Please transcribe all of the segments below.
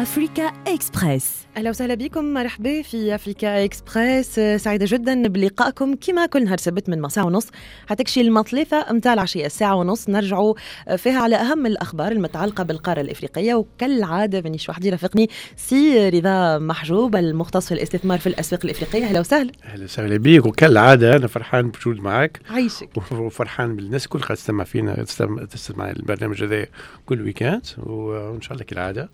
Africa Express. اهلا وسهلا بكم، مرحبا في Africa Express. سعيدة جدا بلقائكم كما كل نهار سبت من ساعة ونص حتى كشي المطلفه نتاع العشية، ساعة ونص نرجعوا فيها على اهم الاخبار المتعلقة بالقاره الافريقيه. وكالعادة مانيش وحدي، رافقني سي رضا محجوب المختص في الاستثمار في الاسواق الافريقية. اهلا وسهلا. اهلا وسهلا بيك، وكالعادة انا فرحان بوجود معك. عايشك. وفرحان بالناس الكل قاعدة تستمع فينا، تستمع البرنامج هذا كل week-end، وان شاء الله كالعادة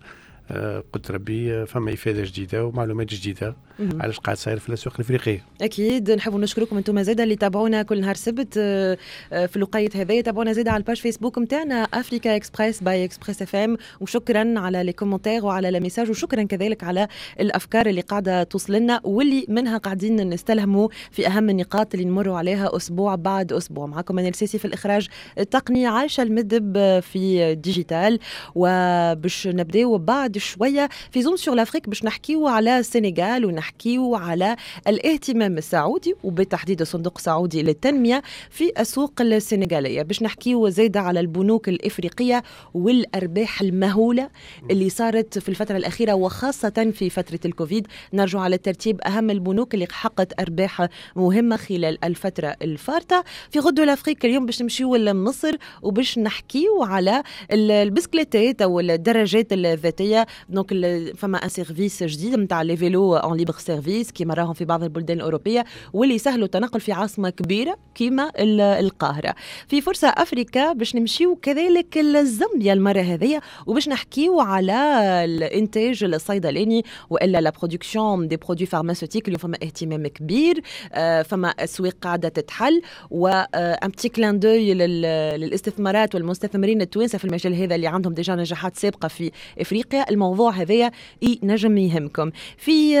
قلت ربي فما افاده جديدة ومعلومات جديدة على اش قاعد صاير في الاسواق الافريقية. اكيد نحب نشكركم انتم زاده اللي تابعونا كل نهار سبت في الوقيت هذايا، تابعونا زاده على ال page Facebook نتاعنا Africa Express by Express FM، وشكرا على les commentaires وعلى les messages، وشكرا كذلك على الافكار اللي قاعدة توصل لنا واللي منها قاعدين نستلهموا في اهم النقاط اللي نمروا عليها اسبوع بعد اسبوع. معكم انا السيسي في الاخراج التقني، عايشه المدب في digital. وباش نبداو بعد شوية في zoom sur l'Afrique باش نحكيو على السنغال ونحكيو على الاهتمام السعودي وبالتحديد الصندوق السعودي للتنمية في السوق السنغاليه، باش نحكيو زايدة على البنوك الافريقية والارباح المهوله اللي صارت في الفترة الاخيرة وخاصة في فترة الكوفيد. نرجع على ترتيب اهم البنوك اللي حققت ارباح مهمة خلال الفترة الفارطه. في route de l'Afrique اليوم باش نمشيو لمصر وباش نحكيو على البسكليتات او الدراجات الذاتية. donc فما un service جديد نتاع les vélos en libre-service كيما راهم في بعض البلدان الاوروبية، واللي يسهلوا التنقل في عاصمة كبيرة كيما القاهرة. في فرصة افريكا باش نمشيو كذلك لزامبيا المرة هذيا وباش نحكيو على الانتاج الصيدلاني والا la production des produits pharmaceutiques. اليوم فما اهتمام كبير، فما اسواق قاعدة تتحل، و un petit clin d'œil للاستثمارات والمستثمرين التوانسة في المجال هذا اللي عندهم déjà نجاحات سابقه في افريقيا. الموضوع هذايا ينجم يهمكم. في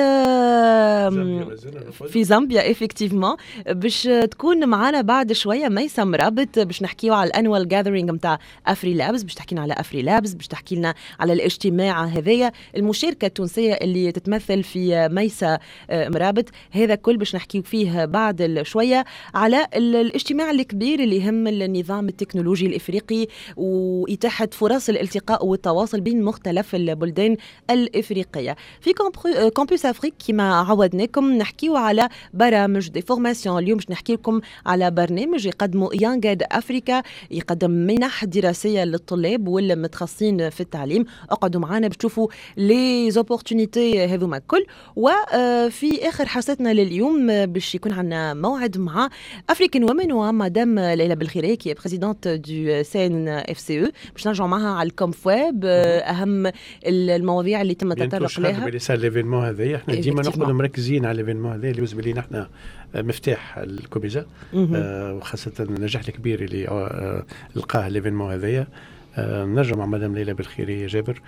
زامبيا effectivement باش تكون معنا بعد شوية ميسم رابط باش نحكيو على ال annual gathering نتاع AfriLabs، باش تحكي لنا على AfriLabs، باش تحكي لنا على الاجتماع هذايا، المشاركة التونسية اللي تتمثل في ميسة مرابط. هذا كل باش نحكيو فيه بعد شوية على الاجتماع الكبير اللي يهم النظام التكنولوجي الافريقي واتاحة فرص الالتقاء والتواصل بين مختلف البلدان الافريقية. في Campus Afrique كما عودناكم نحكيو على برامج des formations. اليوم باش نحكي لكم على برنامج يقدمه YoungEd Africa، يقدم منح دراسية للطلاب والمتخصصين في التعليم. اقعدوا معنا باش تشوفوا les opportunités هذوما الكل. وفي اخر حصتنا لليوم باش يكون عندنا موعد مع African Women ومدام ليلى بالخيري qui est présidente du CNFCE، باش نرجعوا معها على ال ComFweb، اهم المواضيع اللي تم التطرق لها. l'événement هذايا احنا ديما نقعدوا مركزين على l'événement هذا اللي بالنسبة لينا احنا مفتاح الكوميزا، وخاصة النجاح الكبير اللي لقاه l'événement هذايا. نرجع مع مدام ليلى بالخيري جابر،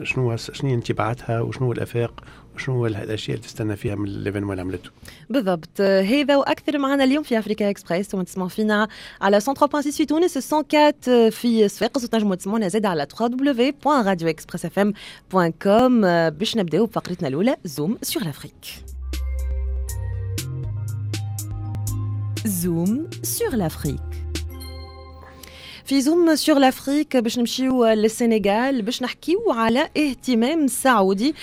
شنو انطباعاتها وشنو الافاق وشنو الاشياء اللي تستنى فيها من l'événement اللي عملته بالضبط. هذا واكثر معنا اليوم في Africa Express، وما تسمعوا فينا على 103.6 في تونس، 104 في صفاقس، وتنجموا تسمعونا زاد على www.radioexpressfm.com. باش نبداو بفقرتنا الاولى zoom sur l'Afrique. Zoom sur l'Afrique. في zoom sur l'Afrique باش نمشيو للسنغال باش نحكيو على اهتمام سعودي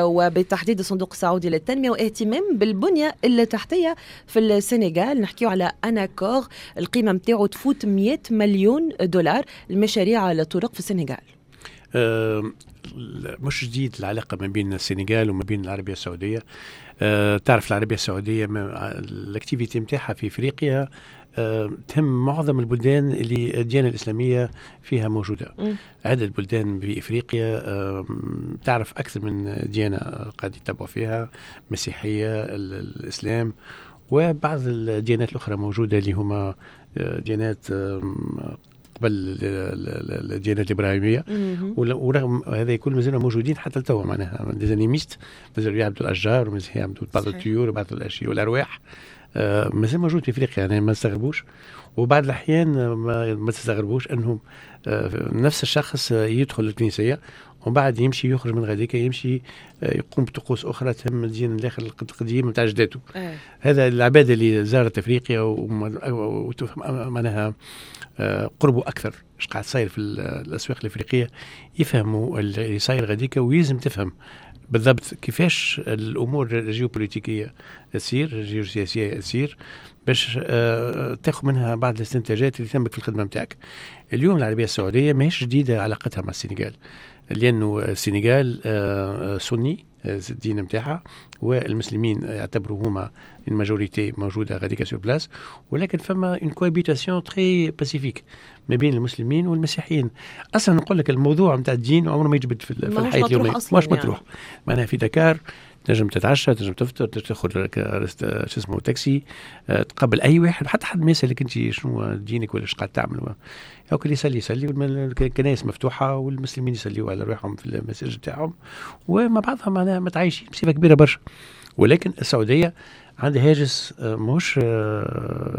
وبالتحديد الصندوق السعودي للتنمية واهتمام بالبنيه التحتية في السنغال. نحكيو على un accord القيمة نتاعو تفوت 100 مليون دولار المشاريع الطرق في السنغال. مش جديد العلاقة ما بين السنغال وما بين العربية السعودية. تعرف العربية السعودية l'activité نتاعها في افريقيا تهم معظم البلدان اللي الديانة الإسلامية فيها موجودة. عدة بلدان بإفريقيا تعرف أكثر من ديانة قاعد يتبعوا فيها، مسيحية، الإسلام، وبعض الديانات الأخرى موجودة اللي هما ديانات قبل الديانات الإبراهيمية، ورغم هذا كل مازالوا موجودين حتى لتوا، معناها des animistes مازالوا يعبدوا الأشجار ومازالوا يعبدوا بعض الطيور وبعض الأشياء والأرواح، مازال موجود في افريقيا، يعني ما تستغربوش. وبعض الاحيان ما تستغربوش انهم نفس الشخص يدخل الكنيسيه ومن ومن بعد يمشي يخرج من غاديك، يمشي يقوم بطقوس اخرى تهم الدين الاخر القديم نتاع جداته. هذا العباد اللي زارت افريقيا وتفهم معناها قربوا اكثر ايش قاعد صاير في الاسواق الافريقيه، يفهموا اللي صاير غاديك، ويلزم تفهم بالضبط كيفاش الامور الجيوبوليتيكيه تصير، الجيوسياسية تصير، باش تاخذ منها بعض الاستنتاجات اللي تهمك في الخدمة نتاعك. اليوم العربية السعودية ماهيش جديدة علاقتها مع السنغال، لانه السنغال سني الدين نتاعها، والمسلمين يعتبروا هما ال majorité موجودة غاديك sur place، ولكن فما une cohabitation très pacifique ما بين المسلمين والمسيحيين. اصلا نقول لك الموضوع نتاع الدين عمره ما يجبد في الحياة اليومية، مش مطروح يعني. معناها في دكار تنجم تتعشى، تنجم تفطر، تنجم تاخذ شو اسمه تاكسي، تقابل اي واحد، حتى حد ما يسالك انت شنو دينك ولا ايش قاعد تعمل. هاك اللي يصلي يصلي، والكنائس مفتوحة والمسلمين يصليوا على رواحهم في المساجد تاعهم، ومع بعضهم معناها متعايشين بصفة كبيرة برشا. ولكن السعودية عندها هاجس، مش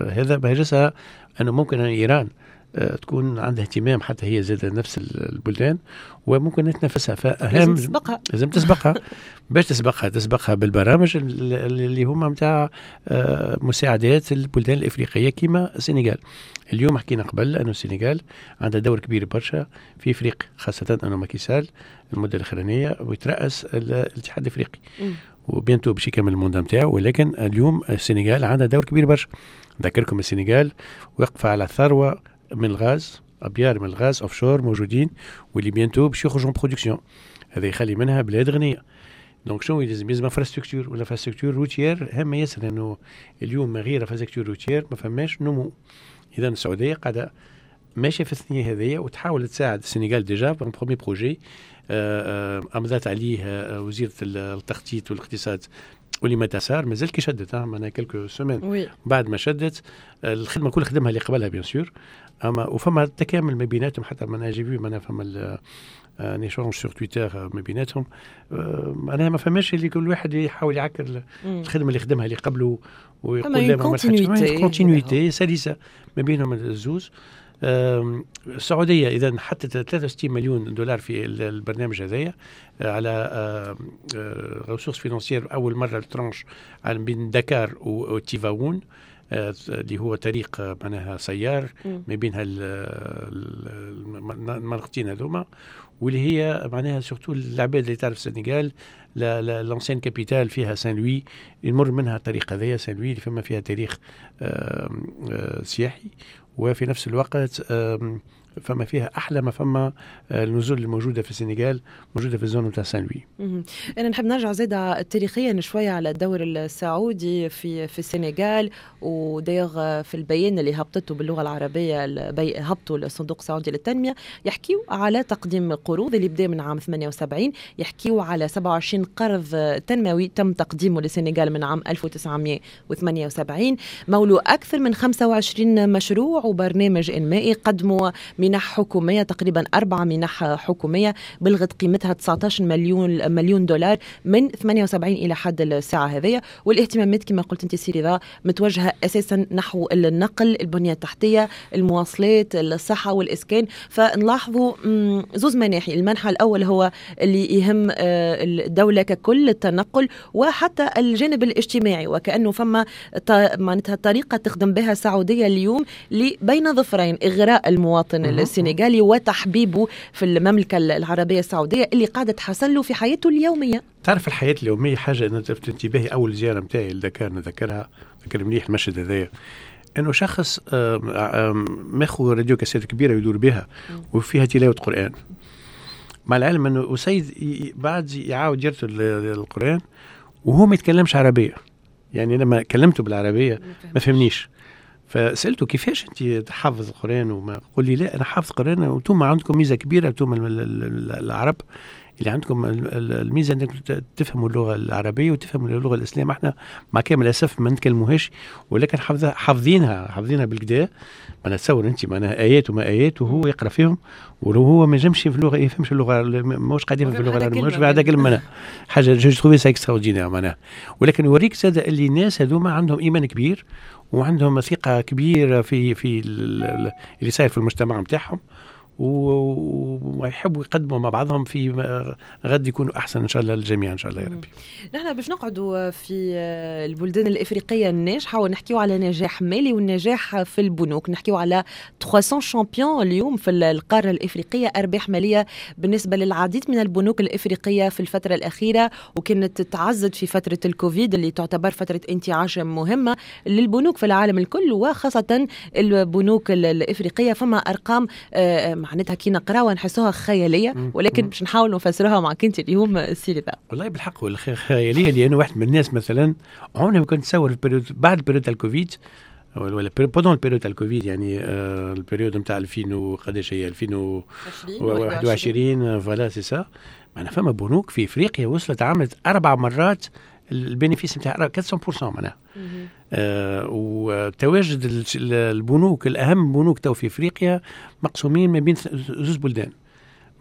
هذا هاجسها، انه ممكن أن ايران تكون عندها اهتمام حتى هي زاد نفس البلدان وممكن تنافسها، فأهم لازم تسبقها، لازم تسبقها. باش تسبقها، تسبقها بالبرامج اللي هما نتاع مساعدات البلدان الافريقية كما السنغال. اليوم حكينا قبل انه السنغال عندها دور كبير برشا في افريقيا، خاصة انه ماكي سال المدة الاخرانية ويترأس الاتحاد الافريقي و bientôt باش يكمل ال mandat نتاعو، ولكن اليوم السنغال عندها دور كبير برشا. نذكركم السنغال واقفة على ثروة من الغاز، ابيار من الغاز offshore موجودين، واللي bientôt باش يخرجوا production. هذا يخلي منها بلاد غنيه. donc شنو لازم؟ لازم infrastructure، وال infrastructure routière هامة ياسر، لانه اليوم من غير infrastructure routière ما فماش نمو. اذا السعودية قاعدة ماشية في الثنية هذيا وتحاول تساعد السنغال. déjà un premier projet امضت عليه وزيره التخطيط والاقتصاد أوليماتا سار، مازال كي شدت معناها quelques semaines بعد ما شدت الخدمة كل خدمها اللي قبلها bien sûr، اما وفما تكامل ما بيناتهم، حتى معناها j'ai vu معناها فما un échange sur تويتر ما بيناتهم، معناها ما فماش اللي كل واحد يحاول يعكر الخدمة اللي خدمها اللي قبله ويقول لا ما continuité سلسه ما بينهم الزوز. السعودية اذا حطت 63 مليون دولار في البرنامج هذايا على ressources financières، اول مرة ال tranche على بين دكار وتيفاون، اللي هو طريق معناها سيار ما بين المنطقتين هذوما، واللي هي معناها surtout العباد اللي تعرف السنغال، l'ancienne capitale فيها سان لوي، يمر منها الطريق هذايا سان لوي اللي فما فيها تاريخ سياحي، وفي نفس الوقت فما فيها احلى ما فما النزل الموجودة في السنغال موجودة في ال zone نتاع سان لوي. انا نحب نرجع زاده تاريخيا شوية على الدور السعودي في السنغال، و d'ailleurs في البيان اللي هبطته باللغة العربية هبطوا الصندوق السعودي للتنمية، يحكيوا على تقديم قروض اللي بدا من عام 78، يحكيوا على 27 قرض تنموي تم تقديمه للسنغال من عام 1978، مولوا اكثر من 25 مشروع وبرنامج انمائي، قدموا منح حكومية تقريبا 4 منح حكومية بلغت قيمتها 19 مليون دولار من 78 إلى حد الساعة هذه. والاهتمامات كما قلت أنت سي رضا متوجهة أساسا نحو النقل، البنية التحتية، المواصلات، الصحة والإسكان. فنلاحظوا زوز مناحي، المنحى الأول هو اللي يهم الدولة ككل، التنقل، وحتى الجانب الاجتماعي، وكأنه فما معناتها طريقة تخدم بها السعودية اليوم بين ظفرين: إغراء المواطن السنغالي وتحبيبه في المملكة العربية السعودية اللي قاعدة تحسن له في حياته اليومية. تعرف الحياة اليومية حاجة أنا لفت انتباهي أول زيارة متاعي لدكار، نذكرها، نذكر مليح المشهد هذايا، أنه شخص ماخذ radio cassette كبيرة يدور بها وفيها تلاوة قرآن، مع العلم أنه أسيد بعد يعاود يرتل القرآن وهو ما يتكلمش عربية، يعني لما كلمته بالعربية ما فهمنيش، فسالته كيفاش انت تحافظ القران؟ وما قول لي لا انا حافظ القران، وانتم عندكم ميزة كبيرة، انتم العرب اللي عندكم الميزة انكم تفهموا اللغة العربية وتفهموا اللغة الاسلام، احنا مع كامل الاسف ما نتكلموهاش، ولكن حافظينها بالكدا. معناها تصور انت معناها ايات وما ايات وهو يقرا فيهم، وهو ما ينجمش في اللغة، يفهمش اللغة، ماهوش قاعد يفهم في اللغة العربية، ماهوش بعد كلمة، حاجة je trouve ça extraordinaire معناها. ولكن يوريك زاد اللي الناس هذوما عندهم ايمان كبير وعندهم ثقة كبيرة في اللي صاير في المجتمع نتاعهم، ويحبوا يقدموا مع بعضهم في غد يكونوا احسن ان شاء الله للجميع ان شاء الله يا ربي. نحن باش نقعدوا في البلدان الافريقية الناجحة ونحكيو على نجاح مالي والنجاح في البنوك، نحكيو على 300 champions اليوم في القارة الافريقية، ارباح ماليه بالنسبة للعديد من البنوك الافريقية في الفترة الاخيرة، وكانت تعزت في فترة الكوفيد اللي تعتبر فترة انتعاش مهمة للبنوك في العالم الكل وخاصة البنوك الافريقية. فما ارقام معناتها كي نقراوها نحسوها خيالية، ولكن باش نحاول نفسروها معك انت اليوم سي رضا. والله بالحق خيالية، لانه واحد من الناس مثلا عمري ما كنت نتصور بعد période الكوفيد ولا pendant ال période الكوفيد، يعني ال période نتاع 2000 وقداش هي 2021 voilà c'est ça، معناها فما بنوك في افريقيا وصلت عملت 4 مرات ال bénéfice نتاع 400% معناها. وتواجد البنوك الاهم بنوك تو في افريقيا مقسومين ما بين زوج بلدان،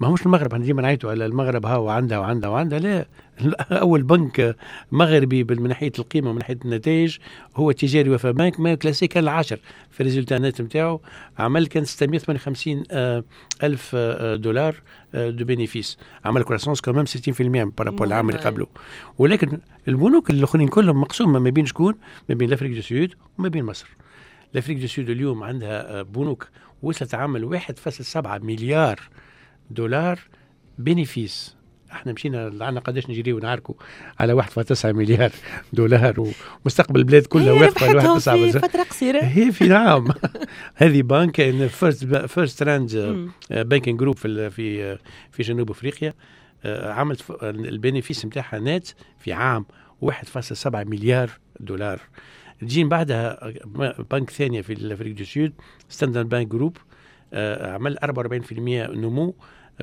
ما همش المغرب، احنا ديما نعيطوا على المغرب ها وعندها وعندها وعندها، لا، اول بنك مغربي من ناحية القيمة ومن ناحية النتائج هو التجاري وفا بنك، ما classé كان العاشر في ال résultat net نتاعو، عمل كان 658 الف دولار de bénéfice، عمل croissance quand même 60% par rapport العام اللي قبله. ولكن البنوك الاخرين كلهم مقسومة ما بين شكون؟ ما بين l'Afrique du Sud وما بين مصر. l'Afrique du Sud اليوم عندها بنوك وصلت عمل 1.7 مليار دولار bénéfice. احنا مشينا عندنا قداش نجري ونعاركوا على 1.9 مليار دولار، ومستقبل البلاد كلها واقفة على 1.9 في فترة قصيرة هي في نعم. هذه بنك FirstRand Banking Group في في جنوب افريقيا، عملت ال bénéfice نتاعها نات في عام 1.7 مليار دولار. تجي بعدها بنك ثانية في l'Afrique du Sud Standard Bank Group، عمل 44% نمو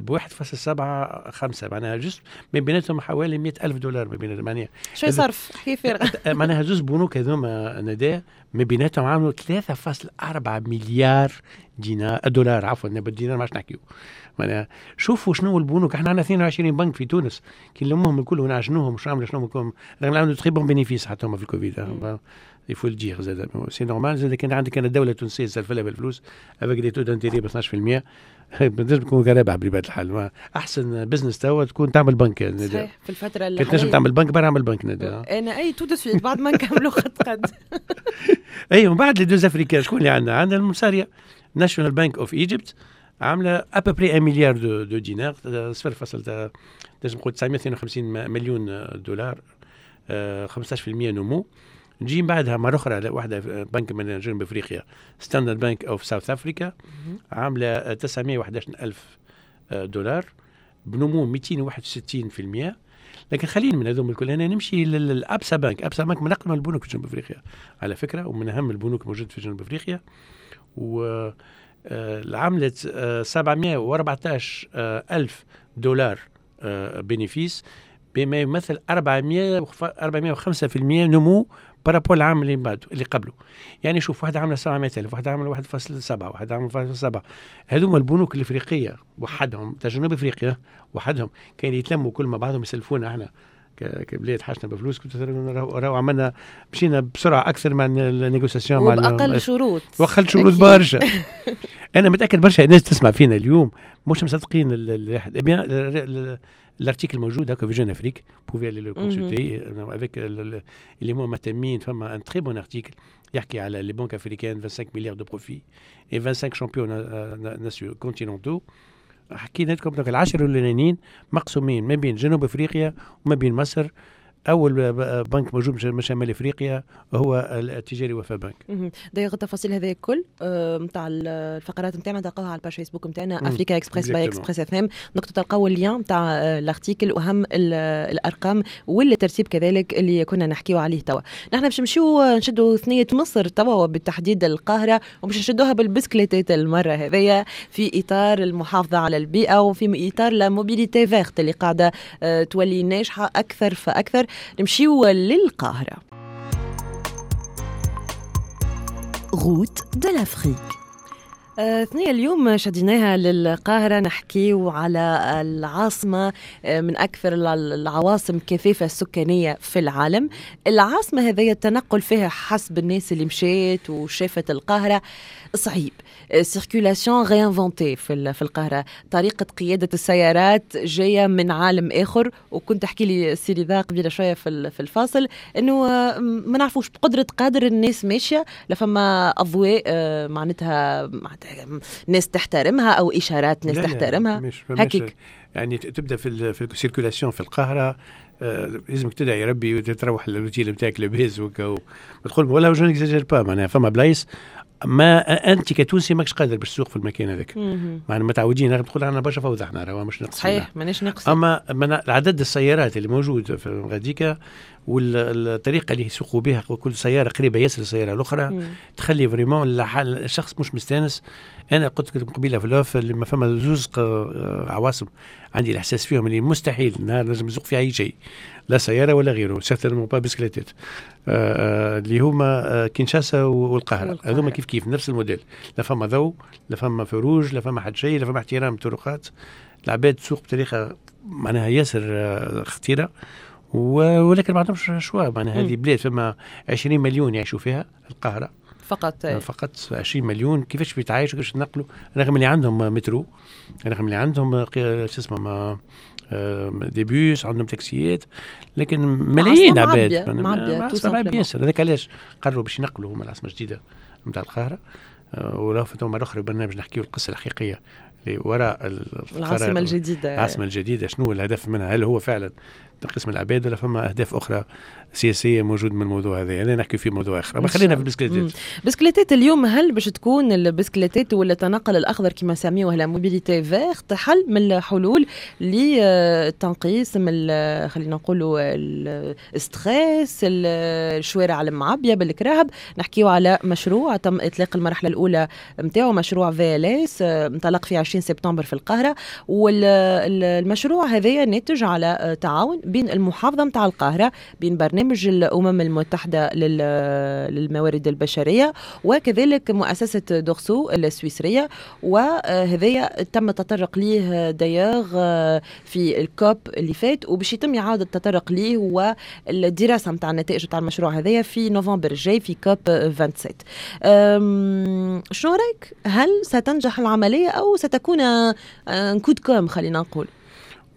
ب 1.75، معناها juste ما بيناتهم حوالي 100,000 دولار ما بيناتهم، معناها شوي صرف حكي فارغة. معناها زوز بنوك هذوما نداء ما بيناتهم عملوا 3.4 مليار دينار دولار، عفوا بالدينار ما عادش نحكيو. معناها شوفوا شنو البنوك، احنا عندنا 22 بنك في تونس، كي نلموهم الكل ونعجنوهم وش عملوا شنو رغم عملوا très bons bénéfices حتى هما في الكوفيد، il faut le dire زاد c'est normal. زاد كان عندك انا الدولة التونسية سلفلها بالفلوس avec des taux d'intérêt ب 12%، تنجم تكون رابح بطبيعة الحال. احسن business توا تكون تعمل بنك. صحيح في الفترة اللي تنجم تعمل بنك برا اعمل بنك انا اي tout de suite بعد ما نكملوا خط قد. اي ومن بعد les deux africains شكون اللي عندنا؟ عندنا المصاريه National Bank of Egypt عامله à peu près 1 milliard de dinars، 0. تنجم نقول 952 مليون دولار، 15% نمو. نجي بعدها مرة أخرى واحدة بنك من جنوب أفريقيا Standard Bank of South Africa عاملة 911 ألف دولار بنمو 261%. لكن خلينا من هذوم الكل، أنا نمشي لل Absa Bank. Absa Bank من أقدم البنوك في جنوب أفريقيا على فكرة، ومن أهم البنوك الموجودة في جنوب أفريقيا، و عملت 714 ألف دولار bénéfice بما يمثل 405% نمو par rapport العام اللي بعده اللي قبله. يعني شوف واحدة عامله 700,000، واحدة عامله 1.7، واحدة عامله 1.7. هذوما البنوك الافريقية وحدهم تاع جنوب افريقيا وحدهم كان يتلموا كل ما بعضهم يسلفونا احنا كبلاد حاجتنا بفلوس، كنت راهو عملنا مشينا بسرعة اكثر مع ال négociations مع واقل شروط، واقل شروط برشا. انا متاكد برشا الناس تسمع فينا اليوم مش مصدقين bien l'article موجود هكا في Jeune Afrique، pouvez aller le consulter avec اللي هما مهتمين. فما un très bon article يحكي على les banques africaines 25 milliards de profits et 25 champions continentaux. حكينا لكم donc العشر الاولانيين مقسومين ما بين جنوب افريقيا وما بين مصر. اول بنك موجود من شمال افريقيا هو التجاري وفا بنك. دايوغ التفاصيل هذه الكل نتاع الفقرات نتاعنا تلقاوها على ال page Facebook نتاعنا Africa Express by Express FM، donc تلقاو ال lien نتاع l'article واهم الارقام والترتيب كذلك اللي كنا نحكيو عليه توا. نحن باش نمشيو نشدوا ثنيه مصر توا وبالتحديد القاهرة، وباش نشدوها بالبسكليتات المرة هذيا في اطار المحافظة على البيئة وفي اطار la mobilité verte اللي قاعدة تولي ناجحة اكثر فاكثر. نمشيو للقاهرة. Route de l'Afrique. ثنية اليوم شديناها للقاهرة، نحكيو على العاصمة من أكثر العواصم كثافة السكانية في العالم. العاصمة هذه التنقل فيها حسب الناس اللي مشيت وشافت القاهرة صعيب، circulation réinventée في القاهرة، طريقة قيادة السيارات جاية من عالم آخر. وكنت تحكي لي سي رضا قبيلة شوية في الفاصل إنه ما نعرفوش بقدرة قادر الناس ماشية، لا فما أضواء معناتها ناس تحترمها أو إشارات ناس تحترمها هكيك. يعني تبدا في ال circulation في القاهرة لازمك تدعي ربي وتروح للوتيل نتاعك لاباس وتقول ولا je n'exagère pas، معناها فما بلايص ما انت كتونسي ماكش قادر باش تسوق في المكان هذاك، معناها متعودين تقول عندنا برشا فوضى احنا، راه مش ناقصين. صحيح ماناش ناقصين، اما عدد السيارات اللي موجود في غاديكا والطريقة اللي يسوقوا بها كل سيارة قريبه ياسر السيارة الاخرى تخلي vraiment الشخص مش مستانس. انا قلت لكم قبيلة في l'off اللي ما فما زوز عواصم عندي الاحساس فيهم اللي مستحيل نهار لازم نسوق فيها اي شيء، لا سيارة ولا غيره، certainement pas بسكليتات، اللي هما كينشاسا والقاهره. هذوما كيف كيف نفس الموديل، لا فما ضوء، لا فما feux rouges، لا فما حد شيء، لا فما احترام الطرقات، العباد تسوق بطريقة معناها ياسر خطيرة، ولكن ما عندهمش choix. معناها هذه بلاد فما 20 مليون يعيشوا فيها القاهرة فقط 20 مليون، كيفاش بيتعايشوا، كيفاش يتنقلوا، رغم اللي عندهم مترو، رغم اللي عندهم شو اسمه des bus، عندهم تاكسيات، لكن ملايين عباد معبية ياسر. هذاك علاش قرروا باش ينقلوا هما العاصمة الجديدة نتاع القاهرة. ولو فتوا مرة أخرى برنامج نحكيو القصة الحقيقية اللي وراء العاصمة الجديدة. العاصمة الجديدة شنو الهدف منها؟ هل هو فعلا تنقيص من العباد ولا فما أهداف أخرى سياسية موجود من الموضوع هذا؟ يعني نحكي في موضوع آخر، ما خلينا في البسكليتات. بسكليتات اليوم هل باش تكون البسكليتات ولا التنقل الأخضر كما سميوه la mobilité verte حل من الحلول للتنقيص من خلينا نقولوا ال stress، الشوارع المعبية بالكراهب؟ نحكيو على مشروع تم إطلاق المرحلة الأولى نتاعو، مشروع VLS، انطلق في 20 سبتمبر في القاهرة، والمشروع هذايا ناتج على تعاون بين المحافظة متاع القاهرة، بين برنامج الأمم المتحدة للموارد البشرية، وكذلك مؤسسة دورسو السويسرية. وهذايا تم التطرق ليه d'ailleurs في ال COP اللي فات، وباش يتم إعادة التطرق ليه والدراسة متاع النتائج متاع المشروع هذايا في نوفمبر الجاي في COP 27. شنو رأيك؟ هل ستنجح العملية أو ستكون coup de com خلينا نقول؟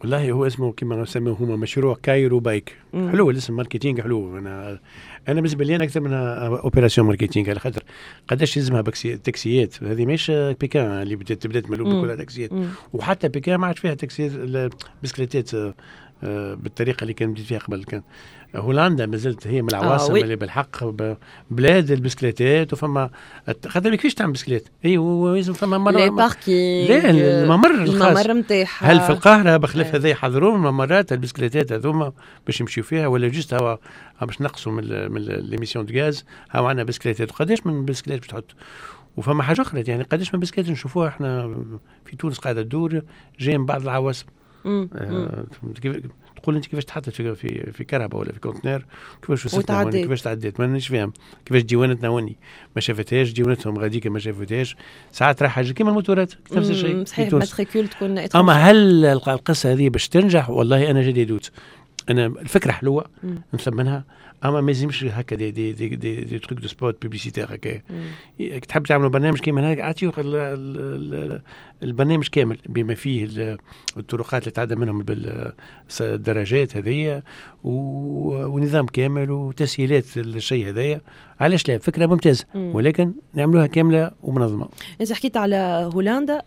والله هو اسمه كما نسميه هما مشروع Cairo Bike. حلو الاسم، marketing حلو. انا بالنسبة لي انا اكثر منها opération marketing، على خاطر قداش يلزمها تاكسيات. هذه ماهيش بيكان اللي بدات ملوك كلها تاكسيات، وحتى بيكان ما عادش فيها تاكسيات بسكليتات بالطريقة اللي كان بديت فيها قبل. كان هولندا مازالت هي من العواصم اللي بالحق بلاد البسكليتات، وفما خاطر كيفاش تعمل بسكليت؟ اي لازم فما مر parking، لا الممر الخاص الممر نتاعها. هل في القاهرة بخلاف هذا يحضرون ممرات البسكليتات هذوما باش يمشيو فيها، ولا juste هو باش نقصوا من les émissions de gaz هاو عندنا بسكليتات؟ قداش من بسكليت باش تحط؟ وفما حاجة اخرى، يعني قداش من بسكليت نشوفوها احنا في تونس قاعدة تدور جاي من بعض العواصم. تقول انت كيفاش تحطت في في كرهبه ولا في conteneur، كيفاش وصلت، كيفاش تعديت، مانيش فاهم كيفاش ديوانتنا وني ما شافتهاش، ديوانتهم غاديك ما شافتهاش. ساعات راح حاجة كيما الموتورات نفس الشيء. صحيح، matricule تكون. اما هل القصة هذه باش تنجح؟ والله انا j'ai des doutes. انا الفكرة حلوة نثمنها، اما ما يلزمش هكا des des des des, des trucs de spot publicitaire هكا. تحب تعملوا برنامج كيما هكا، اعطيو البرنامج كامل بما فيه الطرقات اللي تعدى منهم بالدراجات هذيا، ونظام كامل وتسهيلات للشيء هذايا. علاش لا؟ فكرة ممتازة، ولكن نعملوها كاملة ومنظمة. انت حكيت على هولندا.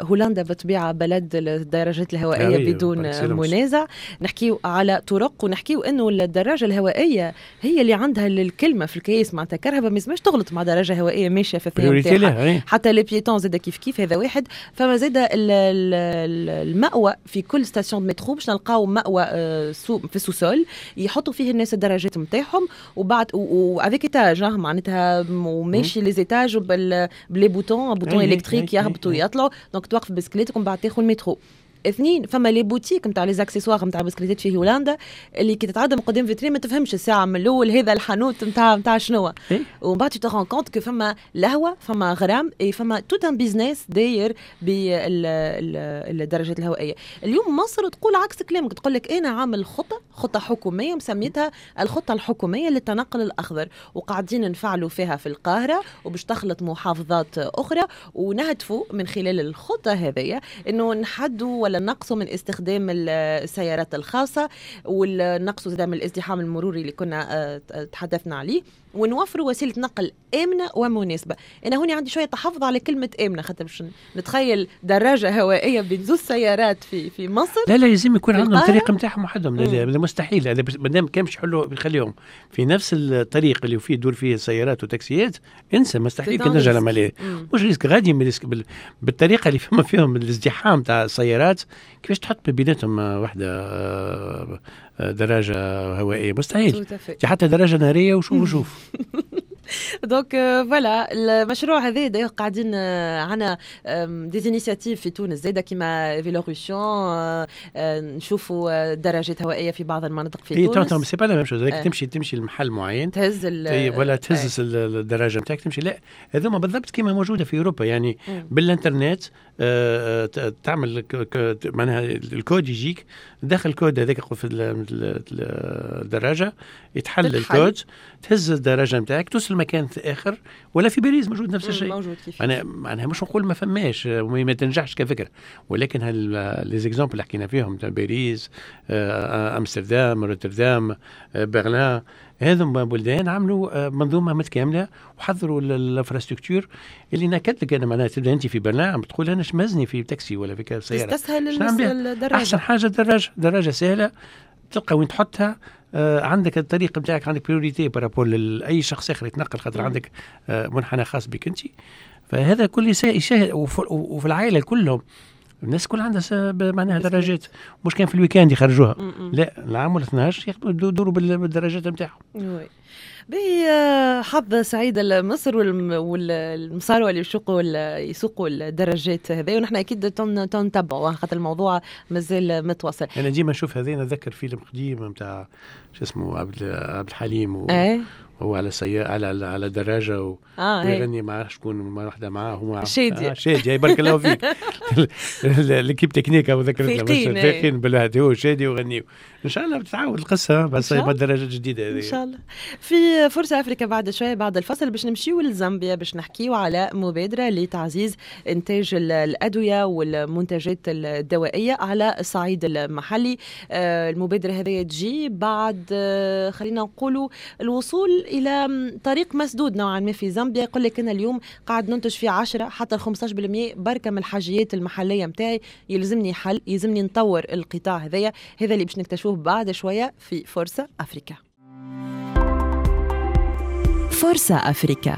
هولندا بالطبيعة بلد الدراجات الهوائية بدون منازع. نحكيو على طرق، ونحكيو انه الدراجة الهوائية هي اللي عندها الكلمة في الكيس، معناتها كرهبه ما لازمش تغلط مع دراجة هوائية ماشية في الثنية نتاعها، حتى les piétons زاد كيف كيف. هذا واحد. فما زاد المأوى في كل station métro باش نلقاو مأوى في ال sous-sol يحطوا فيه الناس الدراجات نتاعهم، وبعد و avec étage معناتها، وماشي les étages ب les boutons électriques يهبطوا ويطلعوا، donc توقف بسكليتك ومن بعد تاخذ المترو. اثنين، فما les boutiques نتاع les accessoires نتاع بسكليتات في هولندا اللي كي تتعدى من قدام فيترين ما تفهمش الساعة من الاول هذا الحانوت نتاع شنو، ومن بعد tu te rends compte que فما لهوه، فما غرام، et فما tout un business داير بالدراجات الهوائيه. اليوم مصر تقول عكس كلامك، تقول لك انا عامل خطه حكومية مسميتها الخطة الحكومية للتنقل الاخضر، وقاعدين نفعلوا فيها في القاهرة وباش تخلط محافظات اخرى، ونهدفوا من خلال الخطة هذه انه نحدوا ولا نقصوا من استخدام السيارات الخاصة ونقصوا زاد من الازدحام المروري اللي كنا تحدثنا عليه، ونوفروا وسيلة نقل امنه ومناسبه. انا هوني عندي شوية تحفظ على كلمة امنه، خاطر باش نتخيل دراجة هوائية بين زوج سيارات في مصر. لا لا، لازم يكون عندهم الطريق نتاعهم وحدهم، هذا مستحيل. هذا مادام كان باش يحلوا يخليهم في نفس الطريق اللي فيه يدور فيه السيارات وتاكسيات، انسى، مستحيل كان نرجع العملية. مش risque غادي من risque بالطريقة اللي فما فيهم الازدحام تاع السيارات، كيفاش تحط بيناتهم واحدة دراجة هوائيه؟ مستحيل، حتى دراجة ناريه. وشوف وشوف. donc voilà، المشروع هذا d'ailleurs قاعدين عندنا des initiatives في تونس زاده كيما Vélorution، نشوفوا دراجات هوائية في بعض المناطق في تونس. c'est pas la même chose، تمشي لمحل معين تهز ولا تهز الدراجة نتاعك تمشي. لا، هذوما بالضبط كيما موجودة في اوروبا، يعني بالانترنت تعمل معناها الكود يجيك، دخل الكود هذاك في الدراجه، يتحل الكود، تهز الدراجة نتاعك توصل مكان اخر. ولا في باريس موجود نفس الشيء. موجود كيف. انا معناها مش نقول ما فماش، ما تنجحش كفكره، ولكن les exemples اللي حكينا فيهم تاع باريس، امستردام، روتردام، برلين، هذم بلدان عملوا منظومة متكاملة وحضروا l'infrastructure اللي ناكد لك انا معناها تبدا انت في برلين تقول انا شمزني في تاكسي ولا في سياره. تستسهل الدراجه. احسن حاجة الدراجه، دراجة سهله، تلقى وين تحطها، عندك الطريق نتاعك، عندك priorité par rapport لاي شخص اخر يتنقل، خاطر عندك منحنى خاص بك انت. فهذا كل يسهل، وفي العائلة كلهم الناس كل عندها معناها دراجات، مش كان في ال week-end يخرجوها، لا، العام ولا 12 يدوروا بالدراجات نتاعهم. باهي، حظ سعيد لمصر والمصاروة اللي يسوقوا الدراجات هذه، ونحن اكيد تنتبعوا خاطر الموضوع مازال متواصل. انا ديما نشوف هذه نذكر فيلم قديم نتاع شو اسمه عبد الحليم وهو على سيارة على دراجة ويغني مع شكون، مع واحدة معاه هو. شادية. شادية، بارك الله فيك، l'équipe technique ذكرتنا. فايقين بالله، هو شادي وغنيو. ان شاء الله بتتعاود القصة بس بالدراجات الجديدة هذه. ان شاء الله. في فرصة افريكا بعد شويه، بعد الفصل، باش نمشيو لزامبيا باش نحكيو على مبادرة لتعزيز انتاج الادوية والمنتجات الدوائية على الصعيد المحلي. المبادرة هذه تجي بعد خلينا نقولوا الوصول الى طريق مسدود نوعا ما في زامبيا. يقول لك انا اليوم قاعد ننتج في 10 حتى 15% بركة من الحاجيات المحلية نتاعي، يلزمني حل، يلزمني نطور القطاع هذايا. هذا اللي باش نكتشفوه بعد شوية في فرصة افريكا. فرصة أفريكا.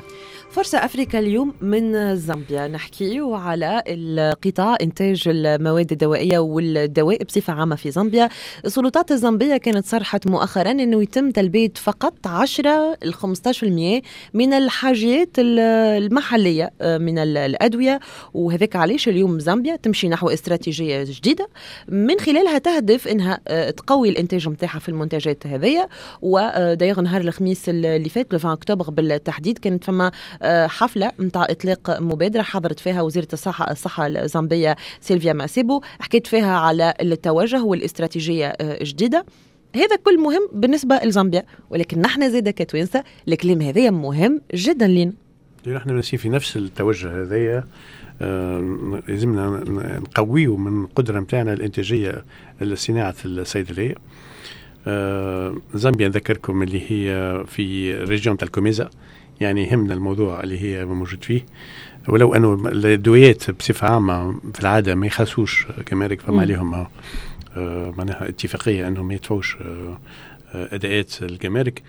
فرصة أفريكا اليوم من زامبيا، نحكي على القطاع إنتاج المواد الدوائية والدواء بصفة عامة في زامبيا. السلطات الزامبية كانت صرحت مؤخرا أنه يتم تلبية فقط 10 ل 15% من الحاجيات المحلية من الأدوية، وهذاك علاش اليوم زامبيا تمشي نحو استراتيجية جديدة من خلالها تهدف أنها تقوي الإنتاج متاعها في المنتجات هذية. و d'ailleurs نهار الخميس اللي فات، 20 أكتوبر بالتحديد، كانت فما حفلة متاع إطلاق مبادرة حضرت فيها وزيرة الصحة الزامبية سيلفيا ماسيبو، حكيت فيها على التوجه والاستراتيجية الجديدة. هذا كل مهم بالنسبة لزامبيا، ولكن نحن زادة كتوانسة الكلام هذا مهم جدا لنا. نحن ماشيين في نفس التوجه هذايا، لازمنا نقويه من القدرة نتاعنا الإنتاجية لصناعة الصيدلية. زامبيا نذكركم اللي هي في région تاع الكوميزا، يعني يهمنا الموضوع اللي هي موجود فيه، ولو انه الدويات بصفة عامة في العادة ما يخلصوش جمارك، فما عليهم معناها اتفاقية انهم ما يدفعوش اداءات الجمارك.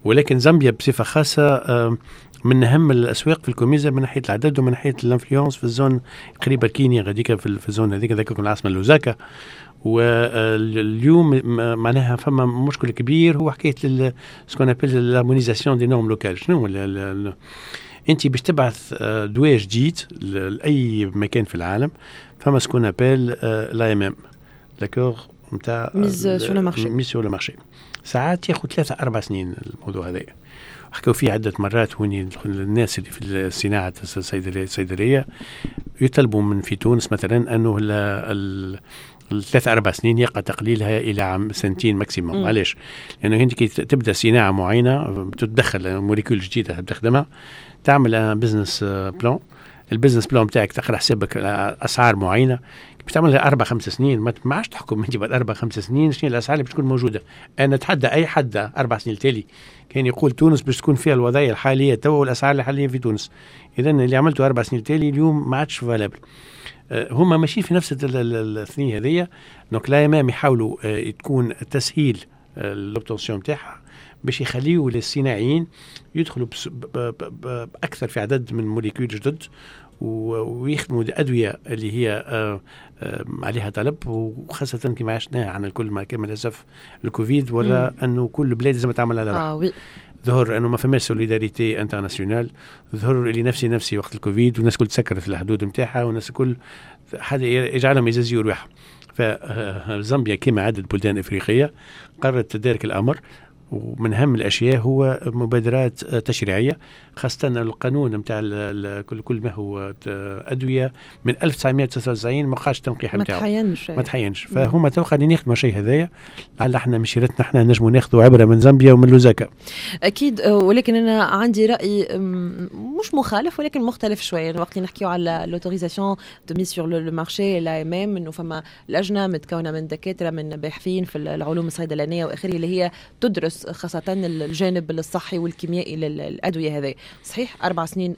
ولكن زامبيا بصفة خاصة من اهم الاسواق في الكوميزا من ناحية العدد ومن ناحية l'influence في ال zone قريبه كينيا غاديكا في ال zone هذيك، ذاك العاصمة لوزاكا. واليوم معناها فما مشكل كبير هو حكاية ce qu'on appelle l'harmonisation des normes locales. شنو انت باش تبعث دواء جديد لاي مكان في العالم، فما ce qu'on appelle l'AMM، d'accord، نتاع mise sur le marché. mise sur le marché ساعات ياخذ 3-4 سنين الموضوع هذا. حكوا فيه عدة مرات هوني الناس اللي في الصناعة الصيدلية يطلبوا من في تونس مثلا أنه ال3-4 سنين يقع تقليلها الى عام، سنتين maximum. علاش؟ لانه انت كي تبدا صناعة معينه، تدخل molécule جديدة تخدمها، تعمل business plan، ال business plan بتاعك تقرا حسابك اسعار معينه، باش تعملها 4-5 سنين ما عادش تحكم انت بعد 4-5 سنين شنو الاسعار اللي باش تكون موجوده. انا اتحدى اي حد 4 سنين التالي كان يقول تونس باش تكون فيها الوضعية الحالية تو والاسعار الحالية في تونس. اذا اللي عملته 4 سنين التالي اليوم ما عادش valable. هما ماشيين في نفس الثنية هذيا، donc l'AMM يحاولوا تكون تسهيل l'obtention نتاعها باش يخليوا للصناعيين يدخلوا باكثر في عدد من molécules جدد ويخدموا ادوية اللي هي عليها طلب، وخاصة كما عشناها عن الكل مع كامل الاسف الكوفيد، ولا انه كل بلاد لازم تعمل على روحها. Oui. ظهر انه ما فماش solidarité internationale، ظهر اللي نفسي نفسي وقت الكوفيد، والناس الكل تسكرت الحدود نتاعها، والناس الكل حد يجعلهم يجازيوا رواحهم. فزامبيا كما عدة بلدان افريقية قررت تدارك الامر، ومن اهم الاشياء هو مبادرات تشريعيه، خاصة القانون نتاع كل ما هو ادوية من 1999 ما بقاش التنقيح نتاعو، ما تحينش. ما تحينش. فهما تو قاعدين يخدموا شيء هذايا، لعل احنا مشيرتنا احنا نجموا ناخذوا عبره من زامبيا ومن لوزاكا. اكيد، ولكن انا عندي راي مش مخالف ولكن مختلف شويه. وقت اللي نحكيو على l'autorisation de mise sur le marché، l'AMM، انه فما لجنة متكونه من دكاتره، من باحثين في العلوم الصيدلانيه واخره، اللي هي تدرس خاصة الجانب الصحي والكيميائي للادوية هذه. صحيح 4 سنين